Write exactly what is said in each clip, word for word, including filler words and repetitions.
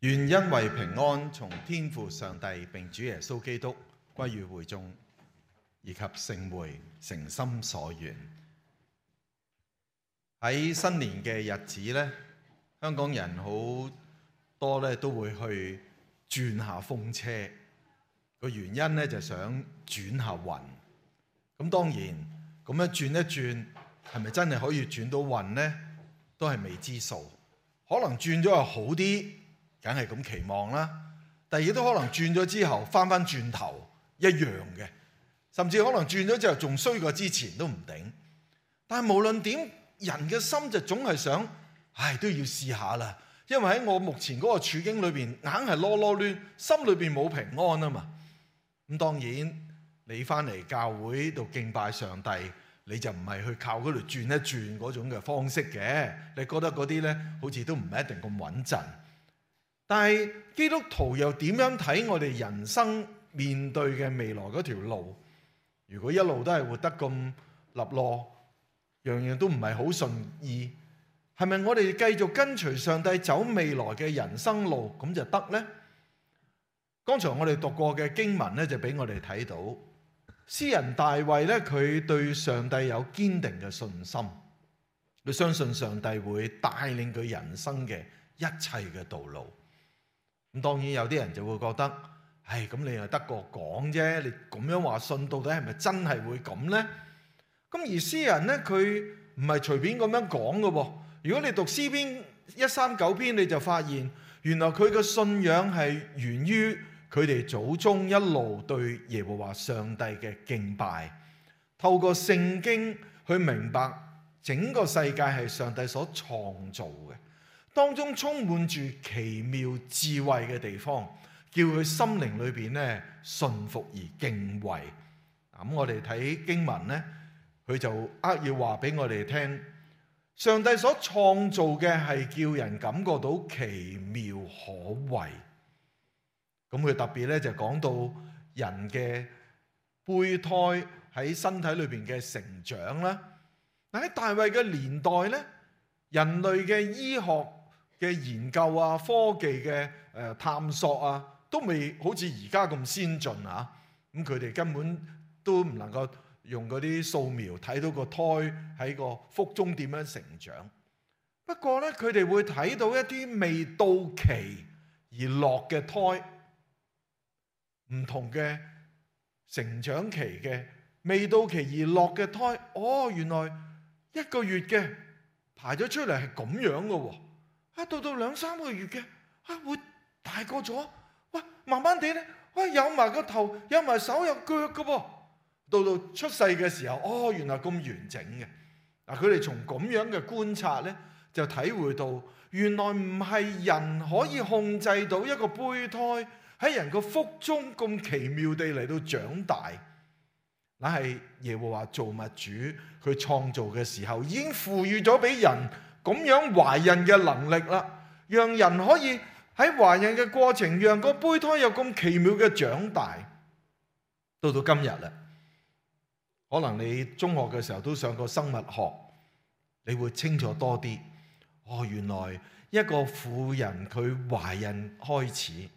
願恩惠平安從天父上帝並主耶穌基督歸於會眾，以及聖會誠心所願。喺新年嘅日子呢，香港人好多咧都會去轉下風車，個原因咧就想轉下運。咁當然咁樣轉一轉，係咪真係可以轉到運呢？都係未知數。可能轉咗又好啲，梗係咁期望啦。但係亦都可能轉咗之後翻翻轉頭一樣嘅，甚至可能轉咗之後仲衰過之前都唔定。但係無論點，人嘅心就總係想，唉，都要試下啦。因為喺我目前嗰個處境裏邊，硬係囉囉攣，心裏邊冇平安啊嘛。咁當然你翻嚟教會度敬拜上帝，你就唔係去靠嗰度轉一轉嗰種嘅方式嘅。你覺得嗰啲呢，好似都唔係一定咁穩陣。但係基督徒又點樣睇我哋人生面對嘅未來嗰條路？如果一路都係活得咁立落，樣樣都唔係好順意，係咪我哋繼續跟隨上帝走未來嘅人生路咁就得呢？剛才我哋讀過嘅經文咧，就俾我哋睇到詩人大衛咧，佢對上帝有堅定嘅信心，佢相信上帝會帶領佢人生嘅一切嘅道路。咁當然有啲人就會覺得，唉，咁你又得個講啫，你咁樣話信，到底係咪真係會咁呢？咁而詩人咧，佢唔係隨便咁樣講嘅喎。如果你讀詩篇一三九篇，你就發現原來佢嘅信仰係源於佢哋祖宗一路對耶和華上帝嘅敬拜，透過聖經去明白整個世界係上帝所創造嘅，當中充滿住奇妙智慧嘅地方，叫佢心靈裏邊咧信服而敬畏。咁我哋睇經文咧，佢就扼要話俾我哋聽，上帝所創造嘅係叫人感覺到奇妙可畏。咁佢特別咧就講到人嘅胚胎喺身體裏邊嘅成長啦。喺大衛嘅年代咧，人類嘅醫學嘅研究啊、科技嘅誒探索啊，都未好似而家咁先進啊。咁佢哋根本都唔能夠用嗰啲掃描睇到個胎喺個腹中點樣成長。不過咧，佢哋會睇到一啲未到期而落嘅胎，唔同嘅成長期嘅未到期而落嘅胎。哦，原來一個月嘅排咗出嚟係咁樣嘅喎。啊，到到兩三個月嘅啊，會大個咗。哇，慢慢地咧，哇，有埋個頭，有埋手有腳嘅喎。到到出世嘅時候，哦，原來咁完整嘅。嗱，佢哋從咁樣嘅觀察咧，就體會到原來唔係人可以控制到一個胚胎喺人個腹中咁奇妙地嚟到長大，乃係耶和華造物主佢創造嘅時候已經賦予咗俾人咁樣懷孕嘅能力啦，讓人可以喺懷孕嘅過程，讓個胚胎有咁奇妙嘅長大。到到今日啦。可能你中學嘅時候都上過生物學，你會清楚多啲。哦，原來一個婦人佢懷孕開始，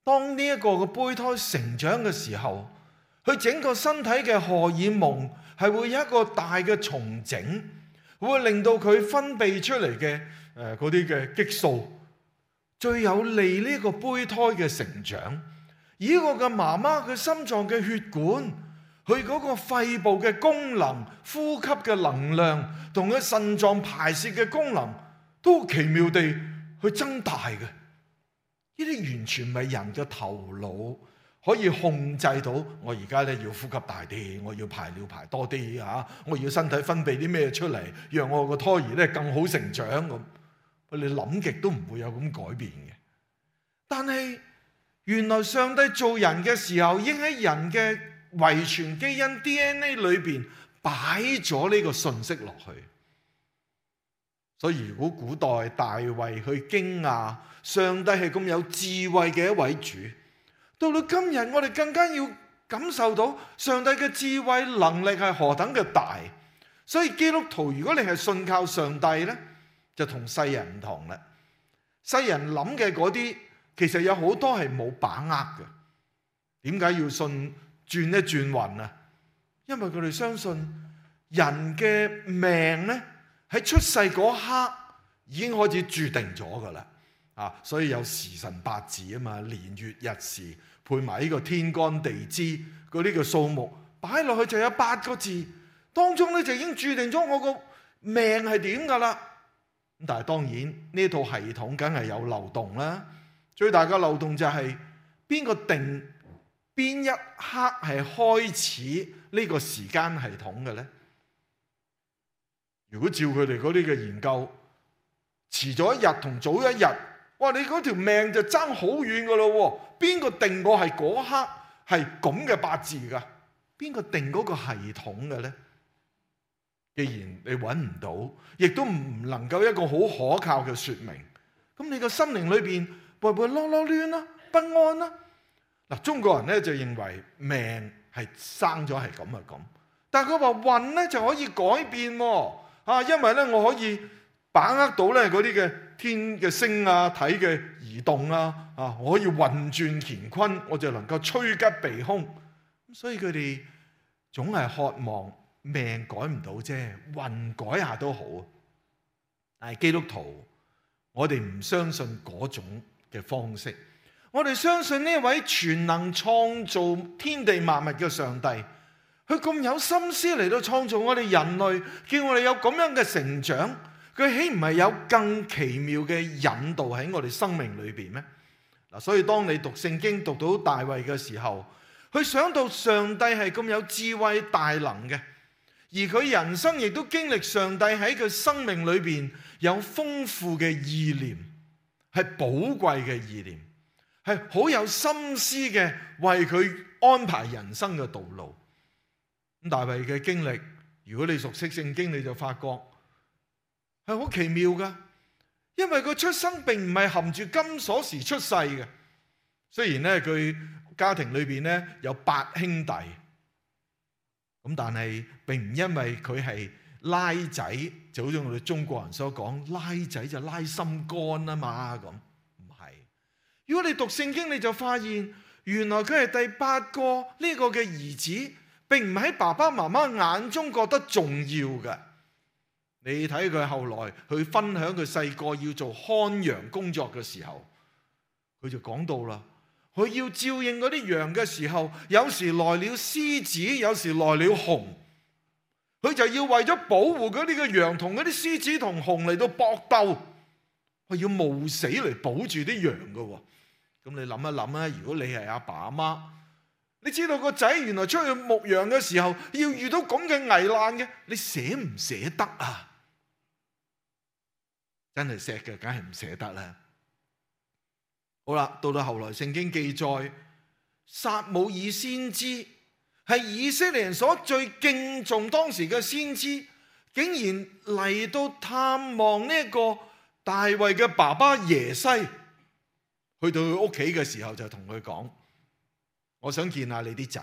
當呢一個嘅胚胎成長嘅時候，佢整個身體嘅荷爾蒙係會有一個大嘅重整，會令到佢分泌出嚟嘅誒嗰啲嘅激素，最有利呢個胚胎嘅成長。而呢個嘅媽媽佢心臟嘅血管，佢嗰個肺部嘅功能、呼吸嘅能量同佢腎臟排泄嘅功能都奇妙地去增大嘅。呢啲完全唔係人嘅頭腦可以控制到。我而家咧要呼吸大啲，我要排尿排多啲嚇，我要身體分泌啲咩出嚟，讓我個胎兒咧更好成長咁。你諗極都唔會有咁改變嘅。但係原來上帝做人嘅時候，已經喺人嘅遺傳基因 D N A 裏邊擺咗呢個信息落去。所以如果古代大衛去驚訝上帝係咁有智慧嘅一位主，到到今日我哋更加要感受到上帝嘅智慧能力係何等嘅大。所以基督徒如果你係信靠上帝呢，就同世人唔同啦。世人諗嘅嗰啲，其實有好多係冇把握嘅。點解要信轉一轉運啊？因為佢哋相信人嘅命咧喺出世嗰刻已經開始注定咗噶啦。啊，所以有時辰八字啊嘛，年月日時配埋呢個天干地支嗰啲嘅數目擺落去就有八個字，當中咧就已經注定咗我個命係點噶啦。咁但係當然呢套系統梗係有漏洞啦。最大嘅漏洞就係邊個定邊一刻係開始呢個時間系統嘅咧？如果照佢哋嗰啲嘅研究，遲咗一日同早一日，哇！你嗰條命就爭好遠噶咯喎！邊個定我係嗰刻係咁嘅八字噶？邊個定嗰個系統嘅咧？既然你揾唔到，亦都唔能夠一個好可靠嘅説明，咁你個心靈裏邊會唔會囉囉攣啦、不安啦？嗱，中國人咧就認為命係生咗係咁啊咁，但係佢話運咧就可以改變喎，啊，因為咧我可以把握到咧嗰啲嘅天嘅星啊、體嘅移動啊，啊，我可以運轉乾坤，我就能夠趨吉避凶。所以佢哋總係渴望命改唔到啫，運改下都好。但係基督徒，我哋唔相信嗰種嘅方式。我哋相信呢位全能創造天地萬物嘅上帝，佢咁有心思嚟到創造我哋人類，叫我哋有咁樣嘅成長，佢豈唔係有更奇妙嘅引導喺我哋生命裏邊咩？嗱，所以當你讀聖經讀到大衛嘅時候，佢想到上帝係咁有智慧大能嘅，而佢人生亦都經歷上帝喺佢生命裏邊有豐富嘅意念，係寶貴嘅意念，係好有心思嘅為佢安排人生嘅道路。咁大衛嘅經歷，如果你熟悉聖經，你就發覺係好奇妙噶，因為佢出生並唔係含住金鎖匙出世嘅。雖然咧佢家庭裏邊咧有八兄弟，咁但係並唔因為佢係拉仔，就好似我哋中國人所講，拉仔就拉心肝啊嘛，咁唔係。如果你讀聖經，你就發現原來佢係第八個呢個嘅兒子，並唔喺爸爸媽媽眼中覺得重要嘅。你睇佢後來去分享佢細個要做看羊工作嘅時候，佢就講到啦，佢要照應嗰啲羊嘅時候，有時來了獅子，有時來了熊，佢就要為咗保護嗰啲嘅羊同嗰啲獅子同熊嚟到搏鬥，佢要冒死嚟保住啲羊嘅。咁你諗一諗啊，如果你係阿爸阿媽，你知道個仔原來出去牧羊嘅時候要遇到咁嘅危難嘅，你捨唔捨得啊？真係錫嘅，梗係唔捨得啦。好啦，到到後來聖經記載，撒母耳先知係以色列人所最敬重當時嘅先知，竟然嚟到探望呢一個大衛嘅爸爸耶西，去到佢屋企嘅時候就同佢講，我想見下你啲仔。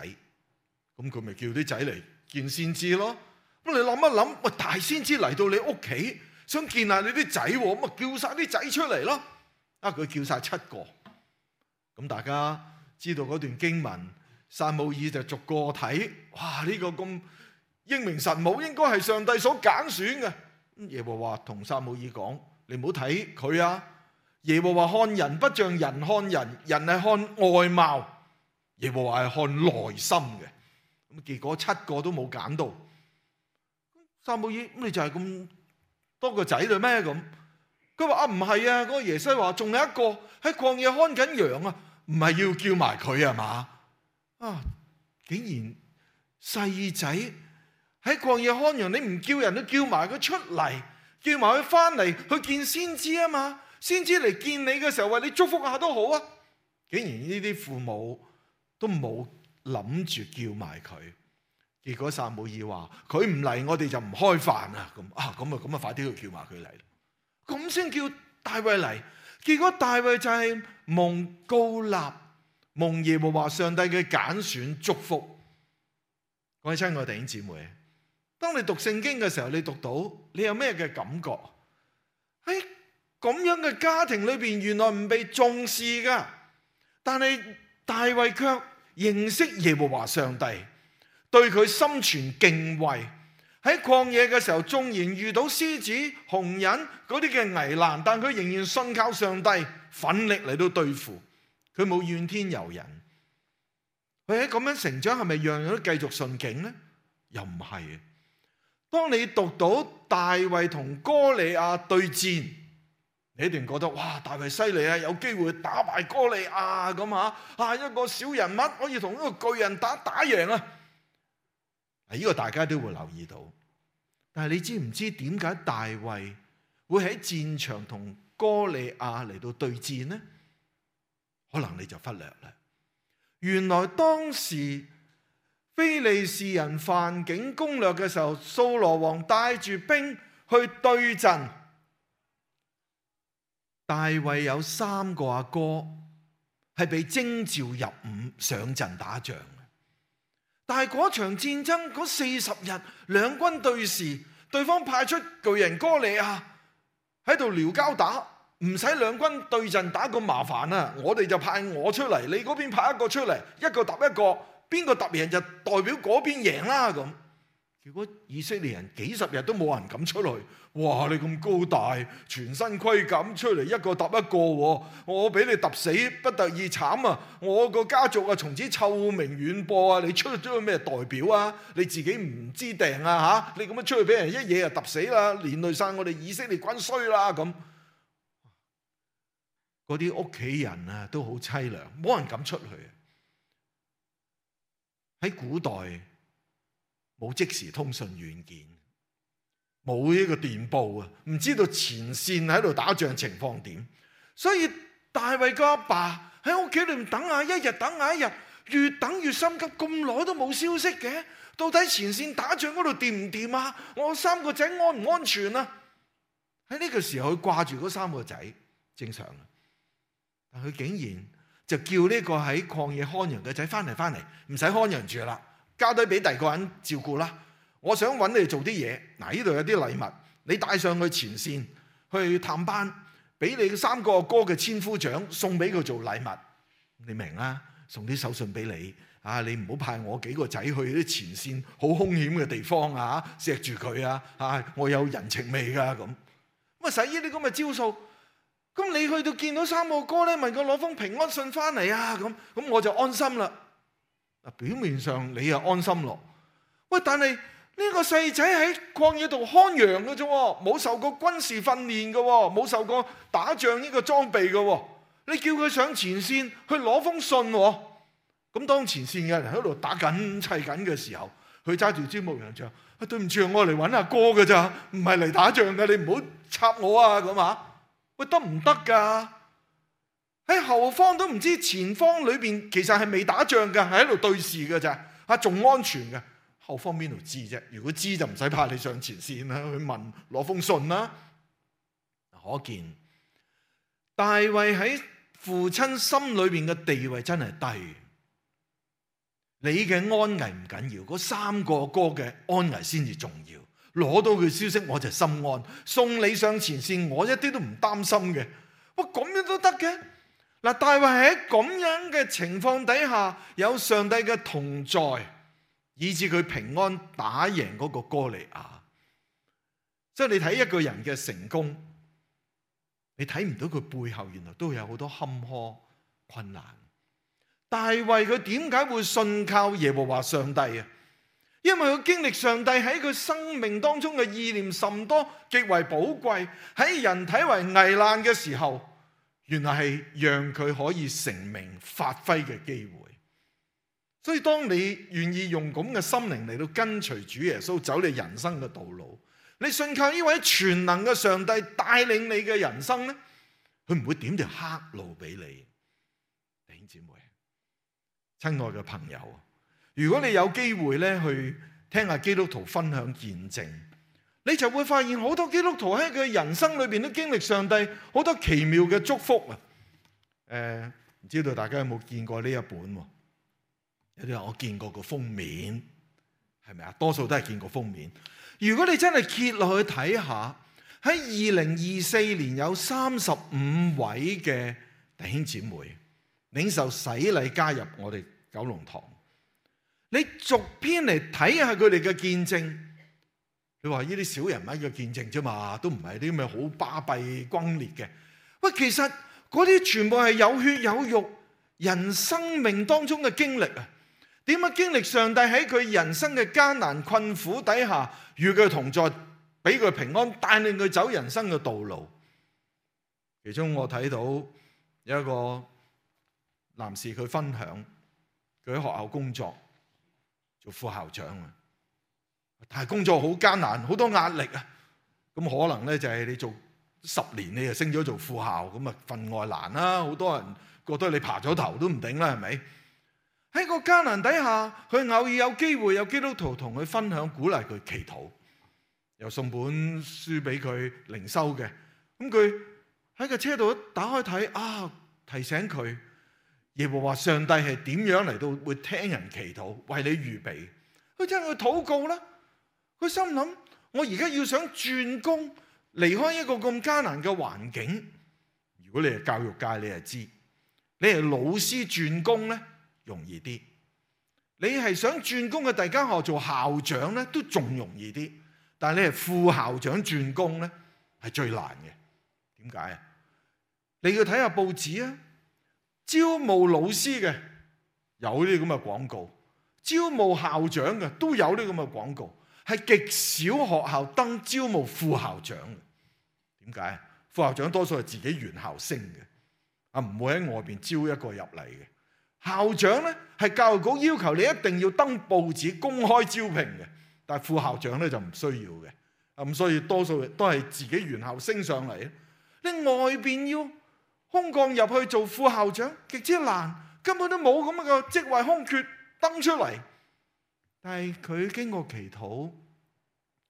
咁佢咪叫啲仔嚟見先知咯。咁你諗一諗，喂，大先知嚟到你屋企想見下你啲仔，咁咪叫晒啲仔出嚟咯。啊，佢叫晒七個。咁大家知道嗰段經文，撒母耳就逐個睇，哇！呢個咁英明神武，應該係上帝所揀選嘅。耶和華同撒母耳講，你唔好睇佢啊。耶和華看人不像人看人，人係看外貌，耶和華係看內心嘅。咁結果七個都冇揀到。撒母耳，咁你就係咁多個仔嘞咩？咁佢話啊，唔係啊，嗰個耶西話仲有一個喺曠野看緊羊啊，唔係要叫埋佢啊嘛？啊，竟然細仔喺曠野看羊，你唔叫人都叫埋佢出嚟，叫埋佢翻嚟去見先知啊嘛？先知嚟見你嘅時候，為你祝福下都好啊。竟然呢啲父母都冇諗住叫埋佢。結果撒母耳話佢唔嚟，我哋就唔開飯啊！咁啊，咁啊，咁啊，快啲去叫埋佢嚟，咁先叫大衛嚟。結果大衛就係蒙膏立，蒙耶和華上帝嘅揀選祝福。各位親愛弟兄姊妹，當你讀聖經嘅時候，你讀到你有咩嘅感覺？喺咁樣嘅家庭裏邊原來唔被重視噶，但係大衛卻認識耶和華上帝，對佢心存敬畏。喺曠野嘅時候，縱然遇到獅子、熊人嗰啲嘅危難，但佢仍然信靠上帝，奮力嚟到對付。佢冇怨天尤人。佢喺咁樣成長，係咪樣樣都繼續順境呢？又唔係。當你讀到大衛同哥利亞對戰，你一定覺得哇，大衛犀利啊，有機會打敗哥利亞咁啊！啊，一個小人物可以同一個巨人打打贏啊！呢個大家都會留意到。但係你知唔知點解大衛會喺戰場同哥利亞嚟到對戰呢？可能你就忽略啦。原來當時非利士人犯境攻略嘅時候，掃羅王帶住兵去對陣。大衛有三個阿哥係被徵召入伍上陣打仗嘅，但係嗰場戰爭嗰四十日，兩軍對視，對方派出巨人哥利亞喺度撩交打，唔使兩軍對陣打咁麻煩啊！我哋就派我出嚟，你嗰邊派一個出嚟，一個揼一個，邊個揼贏就代表嗰邊贏啦咁。結果以色列人幾十日都冇人敢出去。哇！你咁高大，全身盔甲出嚟，一個揼一個，我俾你揼死不得已慘啊！我個家族啊，從此臭名遠播啊！你出咗咩代表啊？你自己唔知定啊嚇！你咁樣出去俾人一嘢就揼死啦，連累晒我哋以色列軍衰啦咁。嗰啲屋企人啊都好凄涼，冇人敢出去。喺古代冇即時通訊軟件，冇呢個電報啊，唔知道前線喺度打仗情況點，所以大衛個阿爸喺屋企裏面等下一日等下一日，越等越心急，咁耐都冇消息嘅，到底前線打仗嗰度掂唔掂啊？我三個仔安唔安全啊？喺呢個時候佢掛住嗰三個仔，正常啊，但佢竟然就叫呢個喺曠野看羊嘅仔翻嚟翻嚟，唔使看羊住啦，交低俾第二個人照顧啦。我想揾你哋做啲嘢，嗱，呢度有啲禮物，你帶上去前線去探班，俾你三個哥嘅千夫長送俾佢做禮物，你明啦？送啲手信俾你，啊，你唔好派我幾個仔去啲前線好兇險嘅地方啊，錫住佢啊，啊，我有人情味噶咁。咁啊，使呢啲咁嘅招數，咁你去到見到三個哥咧，問佢攞封平安信翻嚟啊，咁咁我就安心啦。嗱，表面上你又安心咯，喂，但係呢個細仔喺曠野度看羊嘅啫，冇受過軍事訓練嘅，冇受過打仗呢個裝備嘅。你叫佢上前線去攞封信，咁當前線嘅人喺度打緊砌緊嘅時候，佢揸住支牧羊杖，啊，對唔住，我嚟揾阿哥嘅咋，唔係嚟打仗嘅，你唔好插我啊咁啊！喂，得唔得噶？喺後方都唔知前方裏邊其實係未打仗嘅，係喺度對視嘅咋，啊，仲安全嘅。後方邊度知啫？如果知就唔使派你上前線啦，去問攞封信啦。可見大衛喺父親心裏邊嘅地位真係低。你嘅安危唔緊要，嗰三個哥嘅安危先至重要。攞到佢消息我就心安，送你上前線我一啲都唔擔心嘅。哇，咁樣都得嘅？嗱，大衛喺咁樣嘅情況底下，有上帝嘅同在，以致佢平安打贏嗰個哥利亞。即係你睇一個人嘅成功，你睇唔到佢背後原來都有好多坎坷困難。大衛佢點解會信靠耶和華上帝啊？因為佢經歷上帝喺佢生命當中嘅意念甚多，極為寶貴。喺人睇為危難嘅時候，原來係讓佢可以成名發揮嘅機會。所以當你願意用咁嘅心靈嚟到跟隨主耶穌走你人生嘅道路，你信靠呢位全能嘅上帝帶領你嘅人生咧，佢唔會點條黑路俾你。弟兄姊妹，親愛嘅朋友，如果你有機會咧去聽下基督徒分享見證，你就會發現好多基督徒喺佢人生裏邊都經歷上帝好多奇妙嘅祝福啊！誒、呃，唔知道大家有冇見過呢一本？有啲人我見過個封面，係咪啊？多數都係見過封面。如果你真係揭落去睇下，喺二零二四年有三十五位嘅弟兄姊妹領受洗禮加入我哋九龍堂。你逐篇嚟睇下佢哋嘅見證，你話呢啲小人物嘅見證啫嘛，都唔係啲咩好巴閉轟烈嘅。喂，其實嗰啲全部係有血有肉人生命當中嘅經歷啊！點樣經歷上帝喺佢人生嘅艱難困苦底下與佢同在，俾佢平安，帶領佢走人生嘅道路。其中我睇到有一個男士，佢分享佢喺學校工作做副校長啊，但係工作好艱難，好多壓力啊。咁可能咧就係你做十年你就升咗做副校，咁啊分外難啦。好多人覺得你爬咗頭都唔頂啦，係咪？喺個艱難底下，佢偶爾有機會有基督徒同佢分享，鼓勵佢祈禱，又送本書俾佢靈修嘅。咁佢喺個車度一打開睇啊，提醒佢耶和華上帝係點樣嚟到會聽人祈禱，為你預備。佢真係去禱告啦。佢心諗：我而家要想轉工，離開一個咁艱難嘅環境。如果你係教育界，你就知，你係老師轉工咧，容易啲。你係想轉工嘅第間學校做校長咧，都仲容易啲。但係你係副校長轉工咧，係最難嘅。點解啊？你要睇下報紙啊，招募老師嘅有啲咁嘅廣告，招募校長嘅都有啲咁嘅廣告，係極少學校登招募副校長嘅。點解？副校長多數係自己原校升嘅，啊唔會喺外邊招一個入嚟嘅。校長咧係教育局要求你一定要登報紙公開招聘嘅，但係副校長咧就唔需要嘅。啊咁所以多數都係自己原校升上嚟。你外邊要空降入去做副校長極之難，根本都冇咁嘅職位空缺登出嚟。但係佢經過祈禱，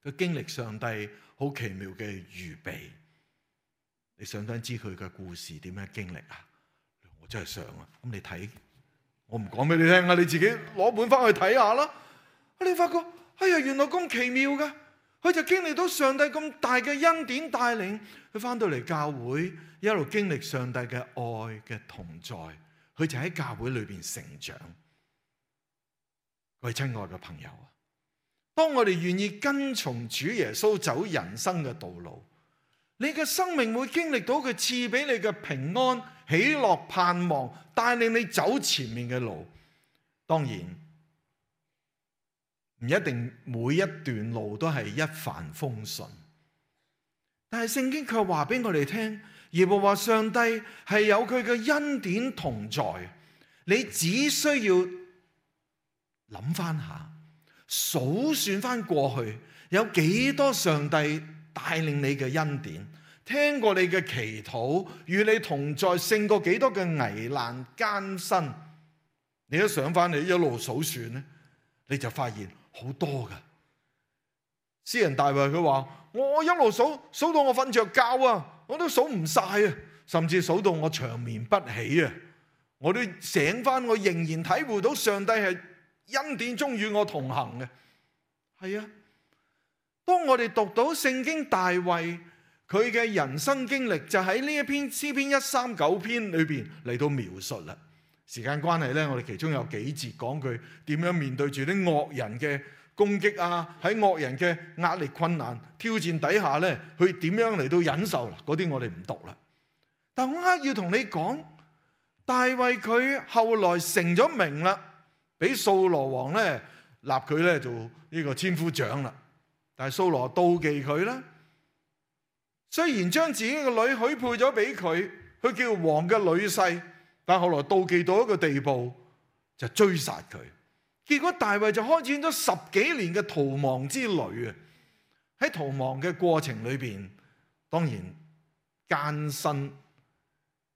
佢經歷上帝好奇妙嘅預備。你想唔想知佢嘅故事點樣經歷啊？我真係想啊！咁你睇，我唔講俾你聽啊，你自己攞本翻去睇下啦。你發覺，哎呀，原來咁奇妙噶！佢就經歷到上帝咁大嘅恩典帶領，佢翻到嚟教會，一路經歷上帝嘅愛嘅同在，佢就喺教會裏邊成長。各位親愛嘅朋友啊，當我哋願意跟從主耶穌走人生嘅道路，你嘅生命會經歷到佢賜俾你嘅平安、喜樂、盼望，帶領你走前面嘅路。當然唔一定每一段路都係一帆風順，但係聖經卻話俾我哋聽，耶和華上帝係有佢嘅恩典同在。你只需要諗翻下，數算翻過去有幾多上帝帶領你嘅恩典，聽過你嘅祈禱，與你同在，勝過幾多嘅危難艱辛。你一想翻，你一路數算咧，你就發現好多噶。詩人大衛佢話：我一路數數到我瞓着覺啊，我都數唔晒啊，甚至數到我長眠不起啊，我都醒翻，我仍然體會到上帝係恩典中與我同行嘅。係啊。當我哋讀到聖經大衛佢嘅人生經歷，就喺呢一篇詩篇一三九篇裏邊嚟到描述啦。時間關係咧，我哋其中有幾節講佢點樣面對住啲惡人嘅攻擊啊，喺惡人嘅壓力、困難、挑戰底下咧，佢點樣嚟到忍受啦？嗰啲我哋唔讀啦。但我刻意要同你講，大衛佢後來成咗名啦，俾掃羅王咧立佢咧做呢個千夫長啦。但係掃羅妒忌佢啦，雖然將自己嘅女許配咗俾佢，佢叫王嘅女婿，但後來妒忌到一個地步，就追殺佢。結果大衛就開展咗十幾年嘅逃亡之旅啊！喺逃亡嘅過程裏邊，當然艱辛、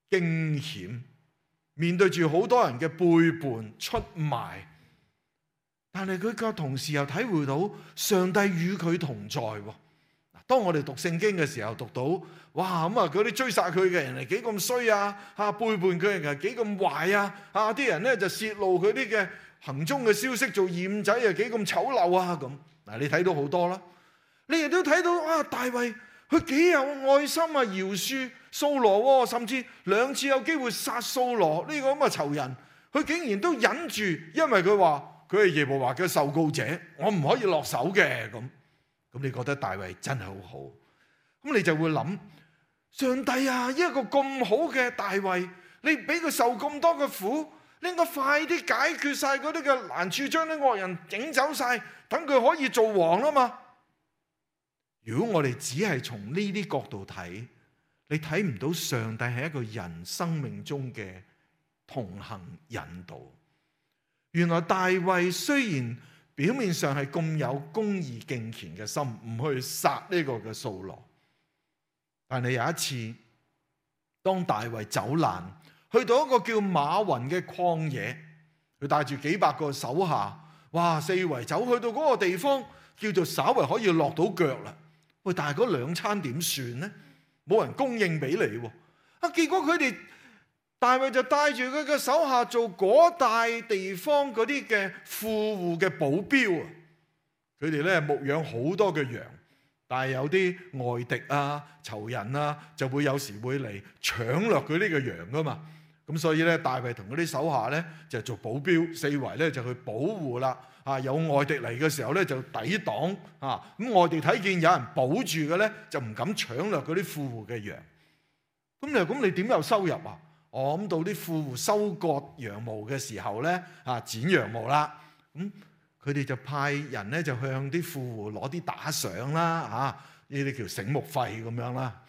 驚險，面對住好多人嘅背叛、出賣。但係佢卻同時又體會到上帝與佢同在。當我哋讀聖經嘅時候，讀到哇咁啊，嗰啲追殺佢嘅人係幾咁衰啊，啊背叛佢嘅人係幾咁壞啊，啊啲人咧就泄露佢啲嘅行蹤嘅消息，做掩仔啊幾咁醜陋啊咁。嗱，你睇到好多啦，你亦都睇到啊大衛佢幾有愛心啊，饒恕掃羅，甚至兩次有機會殺掃羅呢個咁嘅仇人，佢竟然都忍住，因為佢話佢係耶和華嘅受膏者，我唔可以落手嘅。咁咁你覺得大衛真係好好？咁你就會諗，上帝啊，一個咁好嘅大衛，你俾佢受咁多嘅苦，你應該快啲解決晒嗰啲嘅難處，將啲惡人整走晒，等佢可以做王啊嘛。如果我哋只係從呢啲角度睇，你睇唔到上帝係一個人生命中嘅同行引導。原來大衛雖然表面上係咁有公義敬虔嘅心，唔去殺呢個嘅掃羅，但係有一次，當大衛走難，去到一個叫馬雲嘅曠野，佢帶住幾百個手下，哇，四圍走去到嗰個地方，叫做稍為可以落到腳啦。喂，但係嗰兩餐點算呢？冇人供應俾你喎。啊，結果佢哋大衛就帶住佢嘅手下做嗰大地方嗰啲嘅富戶嘅保鏢啊。佢哋咧牧養好多嘅羊，但係有啲外敵啊、仇人啊，就會有時會嚟搶掠佢呢個羊噶嘛。咁所以咧，大衛同嗰啲手下咧就做保鏢，四圍咧就去保護啦。啊，有外敵嚟嘅時候咧就抵擋啊。咁外敵睇見有人保住嘅咧，就唔敢搶掠嗰啲富戶嘅羊。咁你咁你點有收入啊？我諗到啲富戶收割羊毛嘅時候咧，啊剪羊毛啦，咁佢哋就派人咧就向啲富戶攞啲打賞啦，嚇呢啲叫醒目費咁樣啦。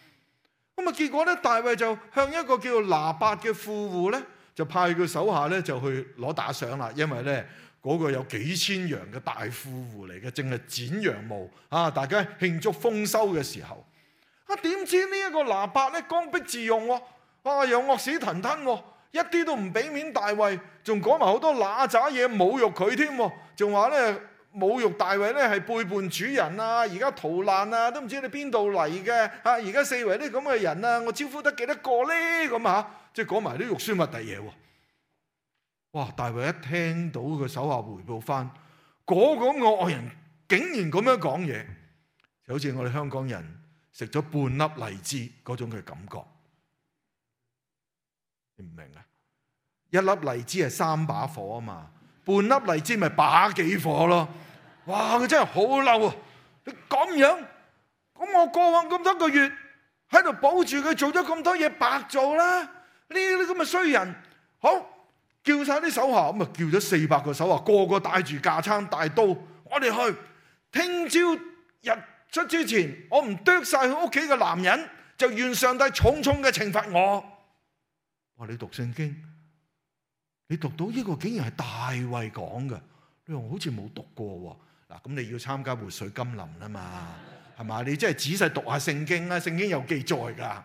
咁啊結果咧，大衛就向一個叫拿八嘅富戶咧，就派佢手下咧就去攞打賞啦，因為咧嗰個有幾千羊嘅大富戶嚟嘅，淨係剪羊毛啊！大家慶祝豐收嘅時候，啊點知呢一個拿八咧剛愎自用喎，啊又惡死騰騰喎，一啲都唔俾面大衛，仲講埋好多揦渣嘢侮辱佢添，仲話咧侮辱大衛咧係背叛主人啊！而家逃難啊，都唔知你邊度嚟嘅啊！而家四圍啲咁嘅人啊，我招呼得幾多個咧咁嚇，即係講埋啲肉酸核突嘢喎。哇！大衛一聽到佢手下回報翻，嗰個惡人竟然咁樣講嘢，就好似我哋香港人食咗半粒荔枝嗰種嘅感覺，你唔明啊？一粒荔枝係三把火啊嘛，半粒荔枝咪把幾火咯。哇！佢真係好嬲啊！你咁樣，咁我過往咁多個月喺度保住佢，做咗咁多嘢白做啦！呢啲咁嘅衰人，好。叫晒啲手下，咁啊叫咗四百個手下，個個帶住架撐大刀，我哋去。聽朝日出之前，我唔剁晒佢屋企嘅男人，就願上帝重重嘅懲罰我。哇！你讀聖經，你讀到呢個竟然係大衛講嘅，你話好似冇讀過喎。嗱，咁你要參加活水甘霖啊嘛，係嘛？你真係仔細讀下聖經啦，聖經有記載㗎。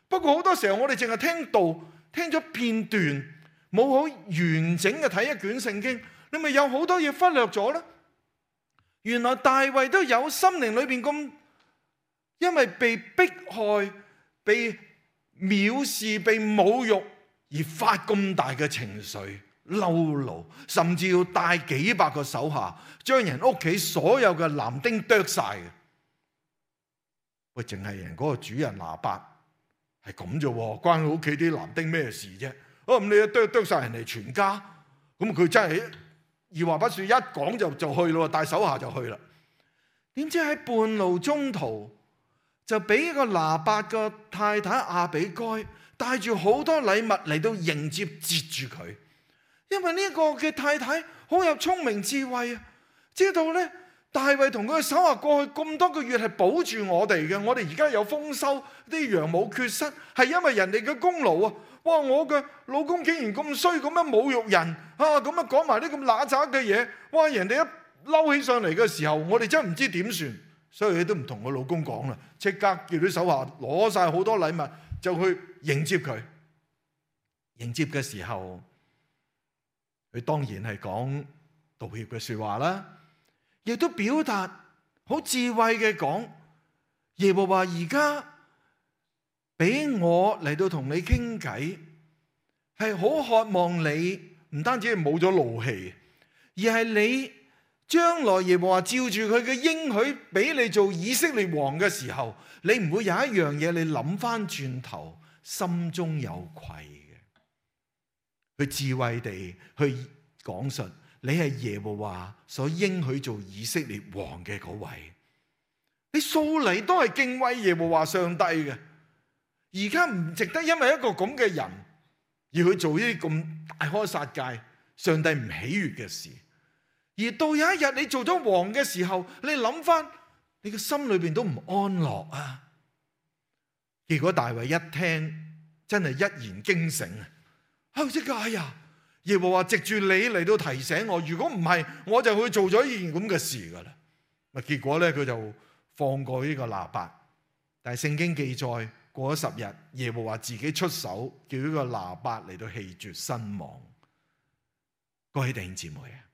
不過好多時候我哋淨係聽道，聽咗片段。冇好完整嘅睇一卷聖經，你咪有好多嘢忽略咗咧。原來大衛都有心靈裏邊咁，因為被迫害、被藐視、被侮辱而發咁大嘅情緒、嬲怒，甚至要帶幾百個手下將人屋企所有嘅男丁剁晒嘅。喂，淨係人嗰個主人拿八係咁啫，關佢屋企啲男丁咩事啫？哦，咁你一剁剁晒人哋全家，咁佢真係二話不說，一講就就去咯，帶手下就去啦。點知喺半路中途就俾個拿八個太太亞比該帶住好多禮物嚟到迎接接住佢，因為呢個嘅太太好有聰明智慧啊，知道咧大衛同佢嘅手下過去咁多個月係保住我哋嘅，我哋而家有豐收，啲羊冇缺失，係因為人哋嘅功勞啊！哇！我嘅老公竟然咁衰，咁樣侮辱人啊！咁樣講埋啲咁揦雜嘅嘢，哇！人哋一嬲起上嚟嘅時候，我哋真係唔知點算，所以佢都唔同我老公講啦，即刻叫啲手下攞晒好多禮物，就去迎接佢。迎接嘅時候，佢當然係講道歉嘅説話啦，亦都表達好智慧嘅講，耶和華而家俾我嚟到同你傾偈，係好渴望你唔單止係冇咗怒氣，而係你將來耶和華照住佢嘅應許俾你做以色列王嘅時候，你唔會有一樣嘢你諗翻轉頭心中有愧嘅，去智慧地去講述你係耶和華所應許做以色列王嘅嗰位。你素嚟都係敬畏耶和華上帝嘅，而家唔值得因為一個咁嘅人而去做呢啲咁大開殺戒、上帝唔喜悅嘅事。而到有一日你做咗王嘅時候，你諗翻，你嘅心裏邊都唔安樂啊！結果大衛一聽，真係一言驚醒啊！啊，即係哎呀，耶和華藉住你嚟到提醒我，如果唔係，我就去做咗呢件咁嘅事噶啦。啊，結果咧佢就放過呢個拿八，但係聖經記載過咗十日，耶和華自己出手，叫呢個拿八嚟到氣絕身亡。各位弟兄姊妹啊！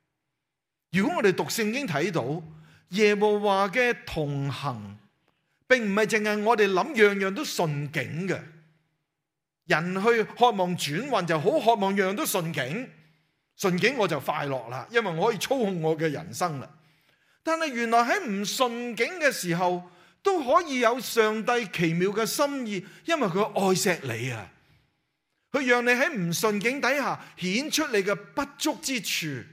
如果我哋讀聖經睇到耶和華嘅同行，並唔係淨係我哋諗樣樣都順境嘅。人去渴望轉運就好，渴望樣樣都順境，順境我就快樂啦，因為我可以操控我嘅人生啦。但係原來喺唔順境嘅時候，都可以有上帝奇妙嘅心意，因為佢愛錫你啊，佢讓你喺唔順境底下顯出你嘅不足之處，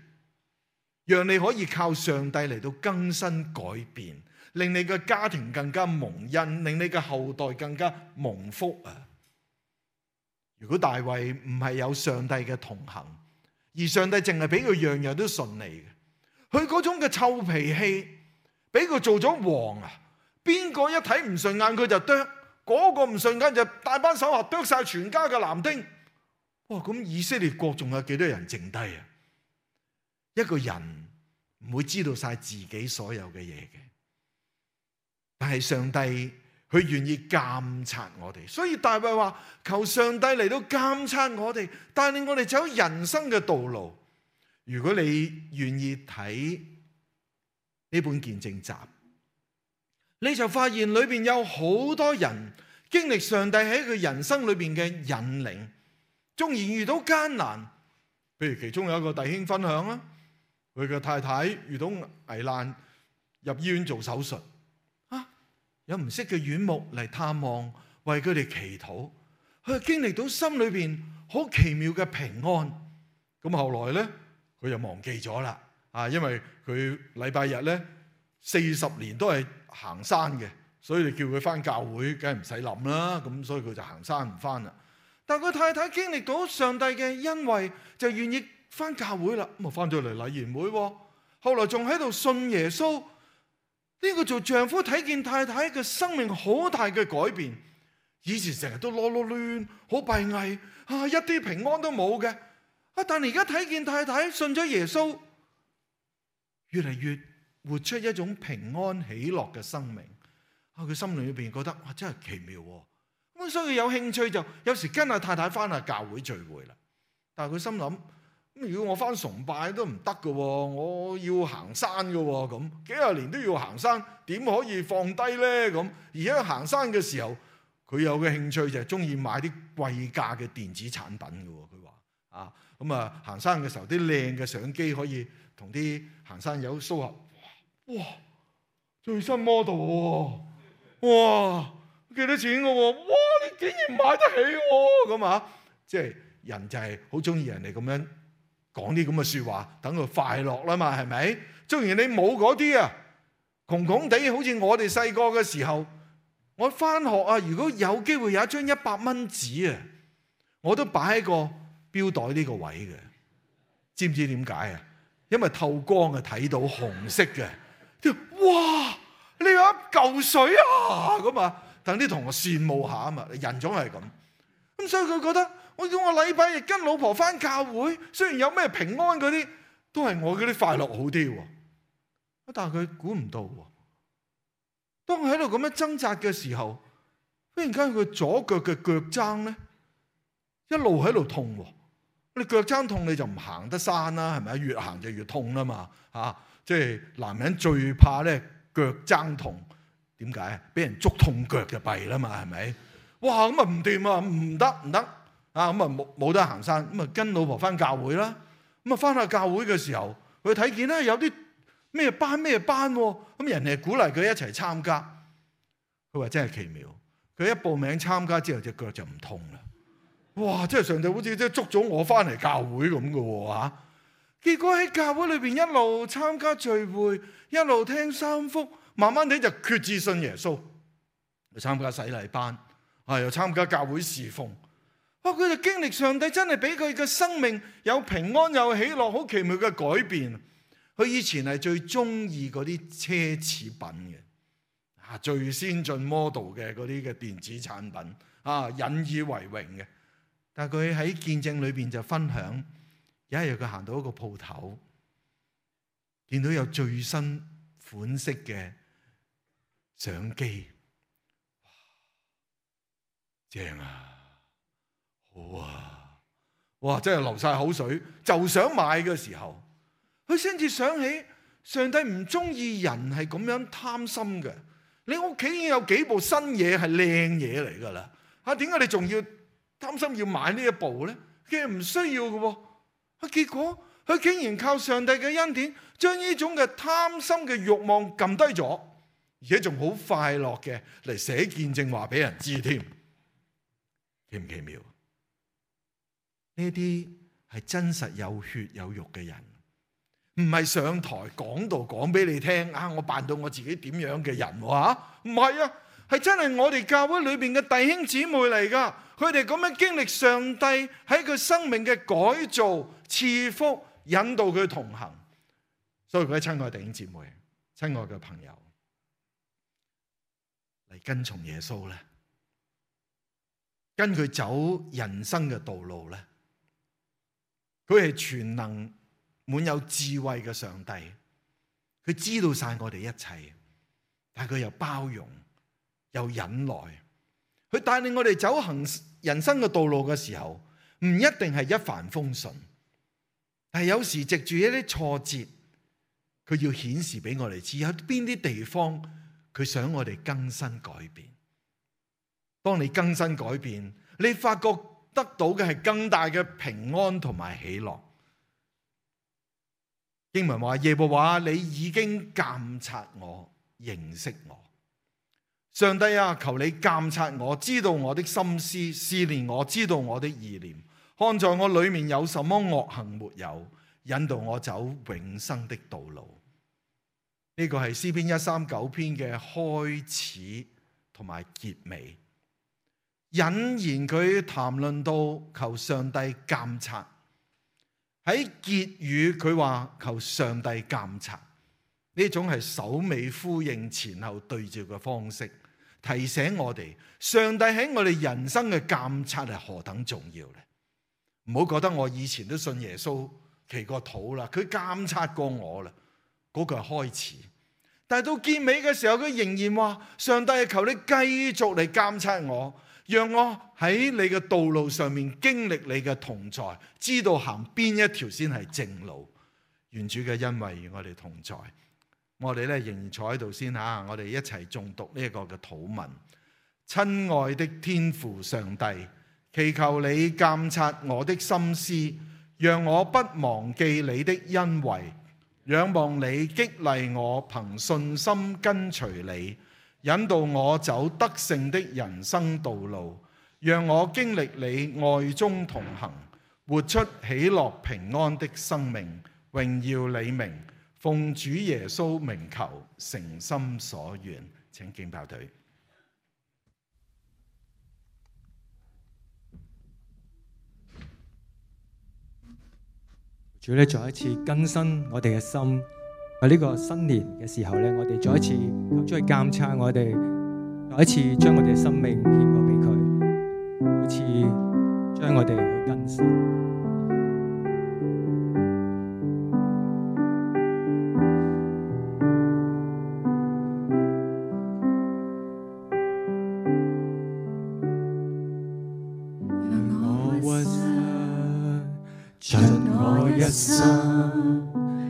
讓你可以靠上帝嚟到更新改變，令你嘅家庭更加蒙恩，令你嘅後代更加蒙福啊！如果大衛唔係有上帝嘅同行，而上帝淨係俾佢樣樣都順利嘅，佢嗰種嘅臭脾氣，俾佢做咗王啊！邊個一睇唔順眼佢就啄，嗰個唔順眼就大班手下啄晒全家嘅男丁。哇！咁以色列國仲有幾多人剩低啊？一個人唔會知道晒自己所有嘅嘢嘅，但係上帝佢願意監察我哋，所以大衛話求上帝嚟到監察我哋，帶領我哋走人生嘅道路。如果你願意睇呢本見證集，你就發現裏邊有好多人經歷上帝喺佢人生裏邊嘅引領，縱然遇到艱難，譬如其中有一個弟兄分享啦，佢嘅太太遇到危難入醫院做手術，啊，有唔識嘅院牧嚟探望，為佢哋祈禱，佢經歷到心裏邊好奇妙嘅平安。咁後來咧，佢就忘記咗啦，啊，因為佢禮拜日咧四十年都係行山嘅，所以你叫佢翻教會，梗係唔使諗啦。咁所以佢就行山唔翻啦。但佢太太經歷到上帝嘅恩惠，就願意翻教會啦。咁啊翻咗嚟禮賢會，後來仲喺度信耶穌。呢個做丈夫睇見太太嘅生命好大嘅改變，以前成日都囉囉攣，好閉翳啊，一啲平安都冇嘅。啊，但係而家睇見太太信咗耶穌，越嚟越活出一種平安喜樂嘅生命。啊，佢心裏邊覺得哇，真係奇妙喎。咁所以有興趣就有時跟阿太太翻下教會聚會啦。但係佢心諗，咁如果我翻崇拜都唔得㗎喎，我要行山㗎喎，咁幾廿年都要行山，點可以放低咧？咁而家行山嘅時候，佢有嘅興趣就係中意買啲貴價嘅電子產品㗎喎。佢話啊，咁啊行山嘅時候啲靚嘅相機可以同啲行山友 show 下，哇，最新 model 喎，哇！幾多錢嘅喎？哇！你竟然買得起喎？咁啊，即係人就係好中意人哋咁樣講啲咁嘅説話，等佢快樂啦嘛，係咪？縱然你冇嗰啲啊，窮窮地，好似我哋細個嘅時候，我翻學啊，如果有機會有一張一百蚊紙啊，我都擺喺個錶袋呢個位嘅。知唔知點解啊？因為透光啊，睇到紅色嘅。哇！你有一嚿水啊？咁啊！等啲同學羨慕下啊嘛，人總係咁。咁所以佢覺得，我叫我禮拜日跟老婆翻教會，雖然有咩平安嗰啲，都係我嗰啲快樂好啲喎。但係佢估唔到喎，當佢喺度咁樣掙扎嘅時候，忽然間佢左腳嘅腳踭咧，一路喺度痛喎。你腳踭痛你就唔行得山啦，係咪？越行就越痛啦嘛。嚇，即係男人最怕咧腳踭痛。點解啊？俾人捉痛腳就弊啦嘛，係咪？哇！咁啊唔掂啊，唔得唔得啊！咁啊冇冇得行山，咁啊跟老婆翻教會啦。咁啊翻下教會嘅時候，佢睇見咧有啲咩班咩班喎？咁人哋鼓勵佢一齊參加。佢話真係奇妙，佢一報名參加之後隻腳就唔痛啦。哇！真係上帝好似即係捉咗我翻嚟教會咁嘅喎嚇。結果喺教會裏邊一路參加聚會，一路聽三福，慢慢地就決志信耶穌，又參加洗禮班，啊又參加教會侍奉。哇！佢就經歷上帝真係俾佢嘅生命有平安有喜樂，好奇妙嘅改變。佢以前係最中意嗰啲奢侈品嘅，啊最先進 model 嘅嗰啲嘅電子產品，啊引以為榮嘅。但係佢喺見證裏邊就分享，有一日佢行到一個鋪頭，見到有最新款式嘅相機，哇，正啊，好啊，哇，真係流晒口水，就想買嘅時候，佢先至想起上帝唔中意人係咁樣貪心嘅。你屋企已經有幾部新嘢係靚嘢嚟噶啦，啊，點解你仲要擔心要買呢一部咧？其實唔需要嘅喎。啊，結果佢竟然靠上帝嘅恩典，將呢種嘅貪心嘅慾望撳低咗，而且仲好快樂嘅嚟寫見證話俾人知添，奇唔奇妙？呢啲係真實有血有肉嘅人，唔係上台講道講俾你聽啊！我扮到我自己點樣嘅人喎？唔係啊，係真係我哋教會裏邊嘅弟兄姊妹嚟噶。佢哋咁樣經歷上帝喺佢生命嘅改造、賜福、引導佢同行。所以各位親愛弟兄姊妹、親愛嘅朋友，嚟跟從耶穌咧，跟佢走人生嘅道路咧，佢係全能滿有智慧嘅上帝，佢知道晒我哋一切，但係佢又包容又忍耐，佢帶領我哋走行人生嘅道路嘅時候，唔一定係一帆風順，但係有時藉住一啲挫折，佢要顯示俾我哋知有邊啲地方佢想我哋更新改變。當你更新改變，你發覺得到嘅係更大嘅平安同埋喜樂。經文話，耶和華你已經鑒察我，認識我。上帝啊，求你鑒察我，知道我的心思，試煉我，知道我的意念，看在我裏面有什麼惡行沒有，引導我走永生的道路。呢個係詩篇一三九篇嘅開始同埋結尾，引言佢談論到求上帝鑒察。喺結語佢話求上帝鑒察，呢種係首尾呼應前後對照嘅方式，提醒我哋上帝喺我哋人生嘅鑒察係何等重要咧。唔好覺得我以前都信耶穌祈過禱啦，佢鑒察過我啦，嗰個係開始。但係到結尾嘅時候，佢仍然話上帝係求你繼續嚟鑒察我，讓我喺你嘅道路上面經歷你嘅同在，知道行邊一條先係正路。願主嘅恩惠與我哋同在。我哋咧仍然坐喺度先吓，我哋一齊誦讀呢一個嘅禱文。親愛的天父上帝，祈求你鑒察我的心思，讓我不忘記你的恩惠，仰望你激勵我，憑信心跟隨你，引導我走得勝的人生道路，讓我經歷你愛中同行，活出喜樂平安的生命，榮耀你名。奉主耶穌名求，誠心所願。請敬爆隊。主咧，再一次更新我哋嘅心。喺呢個新年嘅時候咧，我哋再一次求主去監察我哋，再一次將我哋嘅生命獻過俾佢，再一次將我哋去更新。一生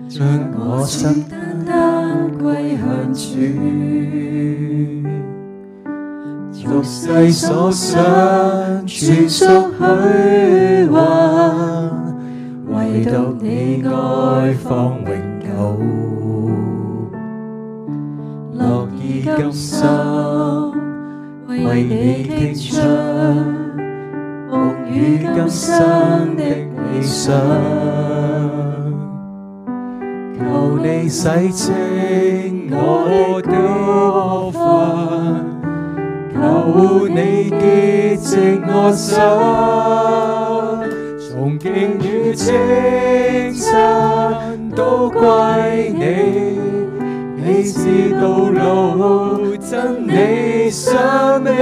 將我心單單歸向主，俗世所想全屬虛幻，唯獨你愛方永久。甘心為你傾出夢與今生的理想，求你洗清我的過犯，求你潔淨我心，從敬與稱讚都歸你。你是道路、真理、生命，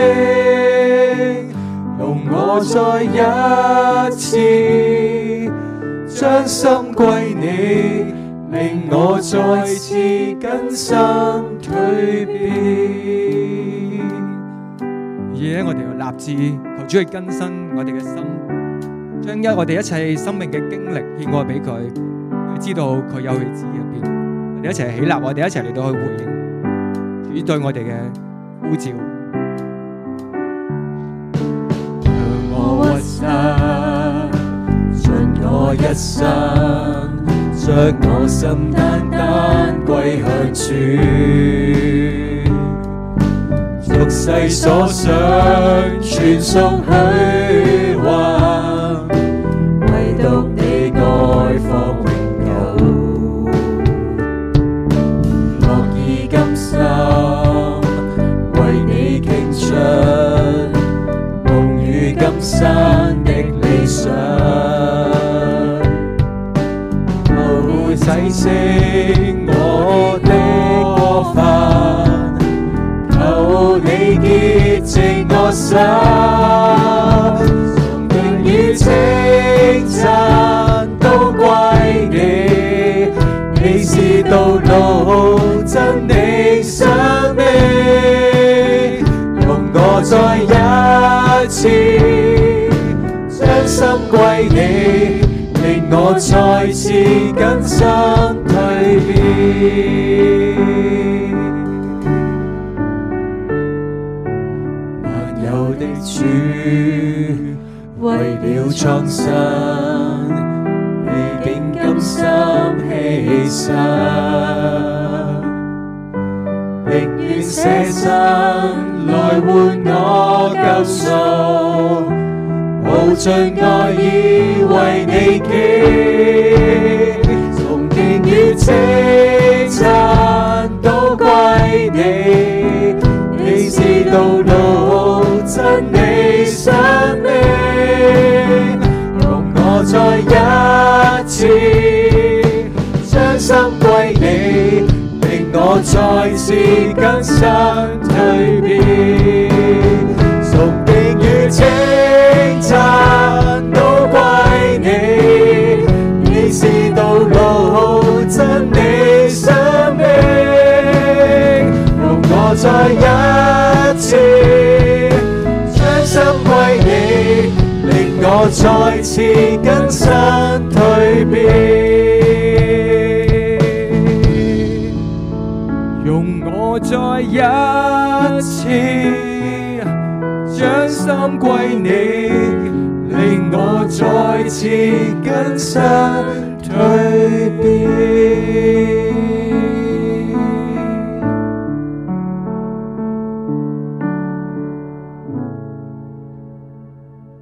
容我再一次將心歸你，令我再次更新蛻變。而咧，我哋要立志求主去更新我哋嘅心，將一我哋一切生命嘅經歷獻過俾佢，佢知道佢有佢旨意入邊。我哋一齊起立，我哋一齊嚟到去回應主對我哋嘅呼召。讓我屈膝，盡我一生，將我心單單歸向主。俗世所想，全屬虛幻，唯獨你愛放永久。樂意甘心為你傾出夢與今生的理想，求洗清我的過犯，求你潔淨我心，從敬與稱讚都歸你。你是道路、真理、生命，容我再一次將心歸你，令我再次更新蛻變。萬有的主，為了創新，歷經甘心犧牲，寧願捨身來換我救贖，無盡愛意為你記，從敬與稱讚都歸你。你是道路、真理、生命，容我再一次將心歸你，令我再次更新蛻變。從敬與稱讚都歸你，你是道路、真理、生命，容我再一次將心歸你，令我再次更新蛻變。容我再一次將心歸你，令我再次更新蛻變。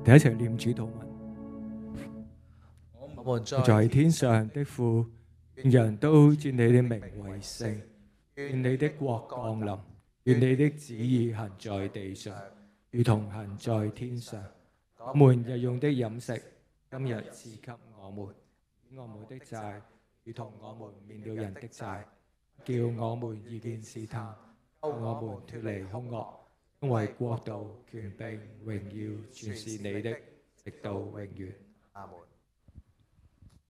第一齊念主禱文。我們在天上的父，願人都尊你的名為聖，願你的國降臨，願你的旨意行在地上，如同行在天上。我們日用的飲食，今日賜給我們，免我們的債，如同我們免了人的債，叫我們遇見試探，救我們脫離兇惡，因為國度、權柄、榮耀，全是你的，直到永遠。阿門。